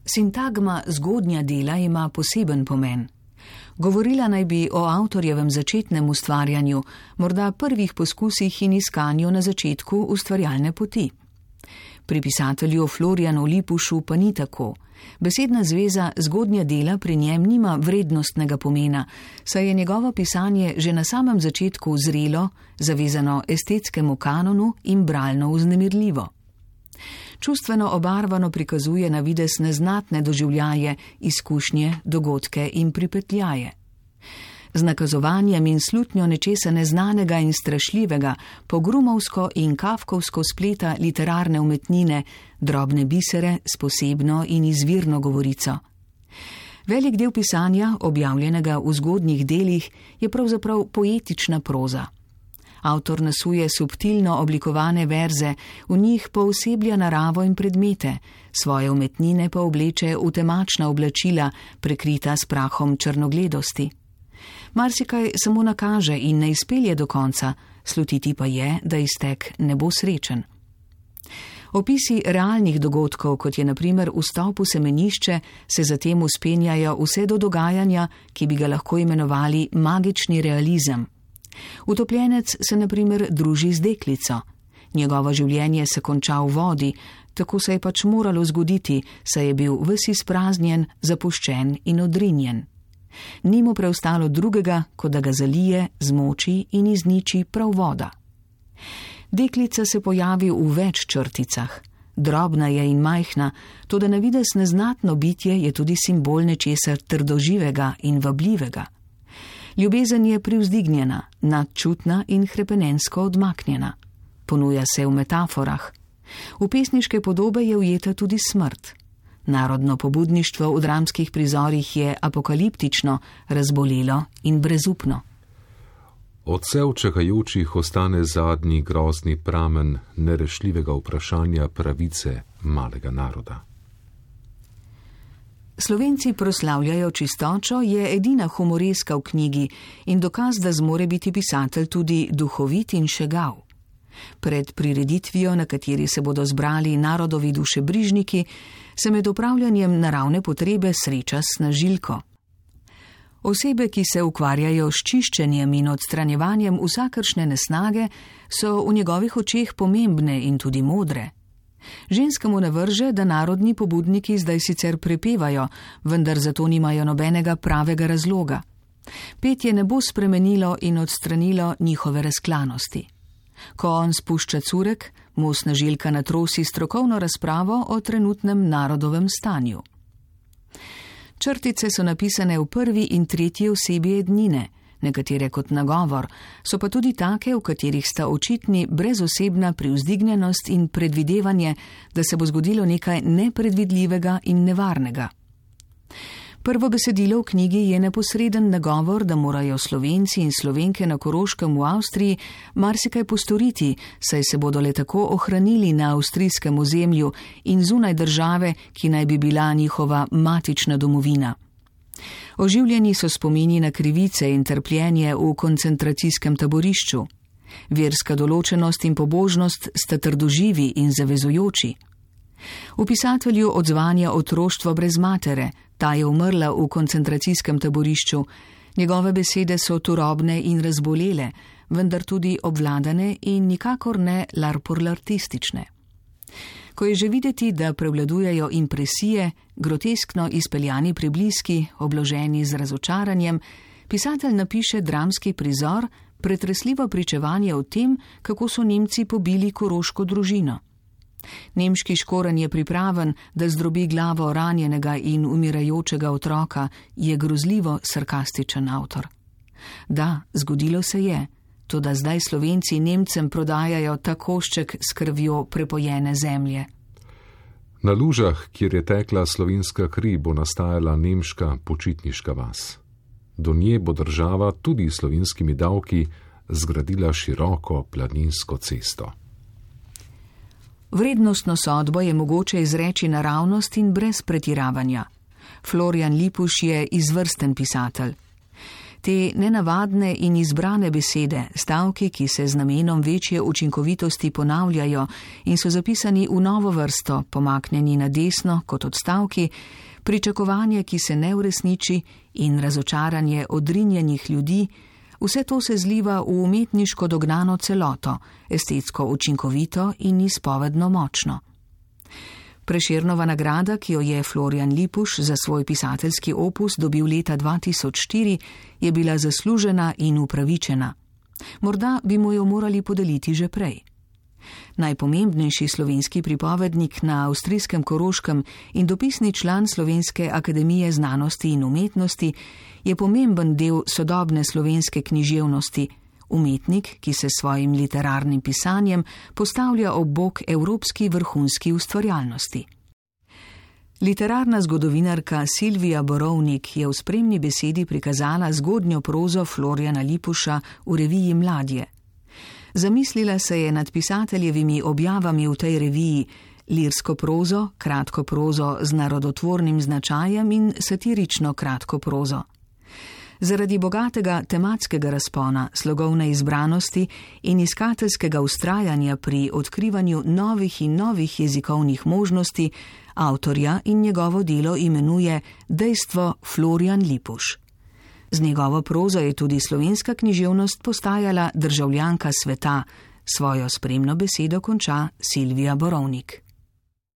Sintagma zgodnja dela ima poseben pomen. Govorila naj bi o avtorjevem začetnem ustvarjanju, morda prvih poskusih in iskanju na začetku ustvarjalne poti. Pri pisatelju Florjanu Lipušu pa ni tako. Besedna zveza zgodnja dela pri njem nima vrednostnega pomena, saj je njegovo pisanje že na samem začetku zrelo, zavezano estetskemu kanonu in bralno vznemirljivo. Čustveno obarvano prikazuje na videz neznatne doživljaje, izkušnje, dogodke in pripetljaje. Z nakazovanjem in slutnjo nečesa neznanega in strašljivega, pogrumovsko in kafkovsko spleta literarne umetnine, drobne bisere s posebno in izvirno govorico. Velik del pisanja, objavljenega v zgodnjih delih, je pravzaprav poetična proza. Avtor nasuje subtilno oblikovane verze, v njih pooseblja naravo in predmete, svoje umetnine pa obleče v temačna oblačila, prekrita s prahom črnogledosti. Marsikaj samo nakaže in ne izpelje do konca, slutiti pa je, da iztek ne bo srečen. Opisi realnih dogodkov, kot je na primer vstop v semenišče, se zatem vzpenjajo vse do dogajanja, ki bi ga lahko imenovali magični realizem. Utopljenec se na primer druži z deklico. Njegovo življenje se konča v vodi, tako se je pač moralo zgoditi, saj je bil ves izpraznjen, zapuščen in odrinjen. Ni mu preostalo drugega, kot da ga zalije, zmoči in izniči prav voda. Deklica se pojavi v več črticah. Drobna je in majhna, toda na videz neznatno bitje je tudi simbol nečesa trdoživega in vabljivega. Ljubezen je privzdignjena, nadčutna in hrepenensko odmaknjena. Ponuja se v metaforah. V pesniške podobe je ujeta tudi smrt. Narodno pobudništvo v dramskih prizorih je apokaliptično, razbolelo in brezupno. Odsev čakajočih ostane zadnji grozni pramen nerešljivega vprašanja pravice malega naroda. Slovenci proslavljajo čistočo je edina humoreska v knjigi in dokaz, da zmore biti pisatelj tudi duhovit in šegav. Pred prireditvijo, na kateri se bodo zbrali narodovi dušebrižniki, se med opravljanjem naravne potrebe sreča s snažilko. Osebe, ki se ukvarjajo s čiščenjem in odstranjevanjem vsakršne nesnage, so v njegovih očeh pomembne in tudi modre. Ženska mu navrže, da narodni pobudniki zdaj sicer prepevajo, vendar zato nimajo nobenega pravega razloga. Petje ne bo spremenilo in odstranilo njihove razklanosti. Ko on spušča curek, mu snažilka natrosi strokovno razpravo o trenutnem narodovem stanju. Črtice so napisane v prvi in tretji osebi ednine, nekatere kot nagovor, so pa tudi take, v katerih sta očitni brezosebna privzdignjenost in predvidevanje, da se bo zgodilo nekaj nepredvidljivega in nevarnega. Prvo besedilo v knjigi je neposreden nagovor, da morajo Slovenci in Slovenke na Koroškem v Avstriji marsikaj postoriti, saj se bodo le tako ohranili na avstrijskem ozemlju in zunaj države, ki naj bi bila njihova matična domovina. Oživljeni so spomini na krivice in trpljenje v koncentracijskem taborišču. Verska določenost in pobožnost sta trdoživi in zavezujoči. V pisatelju odzvanja otroštvo brez matere, ta je umrla v koncentracijskem taborišču. Njegove besede so turobne in razbolele, vendar tudi obvladane in nikakor ne larpurlartistične. Ko je že videti, da prevladujejo impresije, groteskno izpeljani prebliski, obloženi z razočaranjem, pisatelj napiše dramski prizor, pretresljivo pričevanje o tem, kako so Nemci pobili koroško družino. Nemški škoren je pripraven, da zdrobi glavo ranjenega in umirajočega otroka, je grozljivo sarkastičen avtor. Da, zgodilo se je, toda zdaj Slovenci Nemcem prodajajo ta košček s krvjo prepojene zemlje. Na lužah, kjer je tekla slovenska kri, bo nastajala nemška počitniška vas. Do nje bo država tudi s slovenskimi davki zgradila široko planinsko cesto. Vrednostno sodbo je mogoče izreči naravnost in brez pretiravanja. Florjan Lipuš je izvrsten pisatelj. Te nenavadne in izbrane besede, stavki, ki se z namenom večje učinkovitosti ponavljajo in so zapisani v novo vrsto, pomaknjeni na desno kot odstavki, pričakovanje, ki se ne uresniči, in razočaranje odrinjenih ljudi, vse to se zliva v umetniško dognano celoto, estetsko učinkovito in izpovedno močno. Prešernova nagrada, ki jo je Florjan Lipuš za svoj pisateljski opus dobil leta 2004, je bila zaslužena in upravičena. Morda bi mu jo morali podeliti že prej. Najpomembnejši slovenski pripovednik na avstrijskem Koroškem in dopisni član Slovenske akademije znanosti in umetnosti je pomemben del sodobne slovenske književnosti, umetnik, ki se s svojim literarnim pisanjem postavlja ob bok evropski vrhunski ustvarjalnosti. Literarna zgodovinarka Silvija Borovnik je v spremni besedi prikazala zgodnjo prozo Florjana Lipuša v reviji Mladje. Zamislila se je nad pisateljevimi objavami v tej reviji, lirsko prozo, kratko prozo z narodotvornim značajem in satirično kratko prozo. Zaradi bogatega tematskega razpona, slogovne izbranosti in iskateljskega vztrajanja pri odkrivanju novih in novih jezikovnih možnosti, avtorja in njegovo delo imenuje dejstvo Florjan Lipuš. Z njegovo prozo je tudi slovenska književnost postajala državljanka sveta, svojo spremno besedo konča Silvija Borovnik.